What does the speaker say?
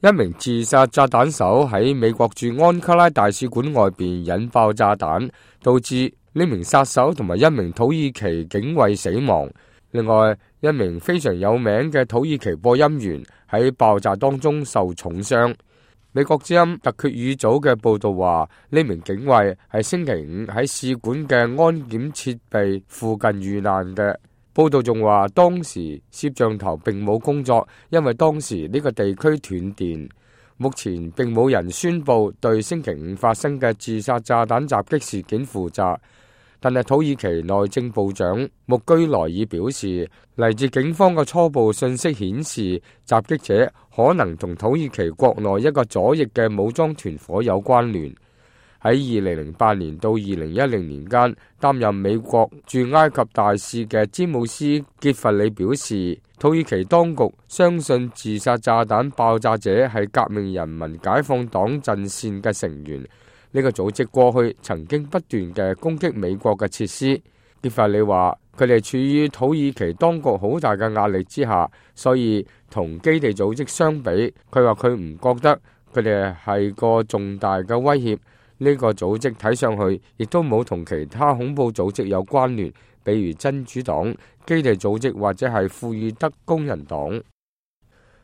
一名自殺炸彈手喺美國駐安卡拉大使館外邊引爆炸彈，導致呢名殺手同埋一名土耳其警衛死亡。另外，一名非常有名嘅土耳其播音員喺爆炸當中受重傷。美國之音特決語組嘅報道話，呢名警衛係星期五喺使館嘅安檢設備附近遇難嘅。報道仲話，當時攝像頭並冇工作，因為當時呢個地區斷電。目前並冇人宣布對星期五發生嘅自殺炸彈襲擊事件負責。但係土耳其內政部長穆居萊爾表示，嚟自警方嘅初步信息顯示，襲擊者可能同土耳其國內一個左翼嘅武裝團夥有關聯。喺2008年到2010年間，擔任美國駐埃及大使嘅詹姆斯傑弗里表示，土耳其當局相信自殺炸彈爆炸者係革命人民解放黨陣線嘅成員。呢個組織過去曾經不斷嘅攻擊美國嘅設施。傑弗里話，佢哋處於土耳其當局好大嘅壓力之下，所以同基地組織相比，佢話佢唔覺得佢哋係個重大嘅威脅。呢個組織睇上去亦都冇同其他恐怖組織有關聯，比如真主黨、基地組織或者係庫爾德工人黨。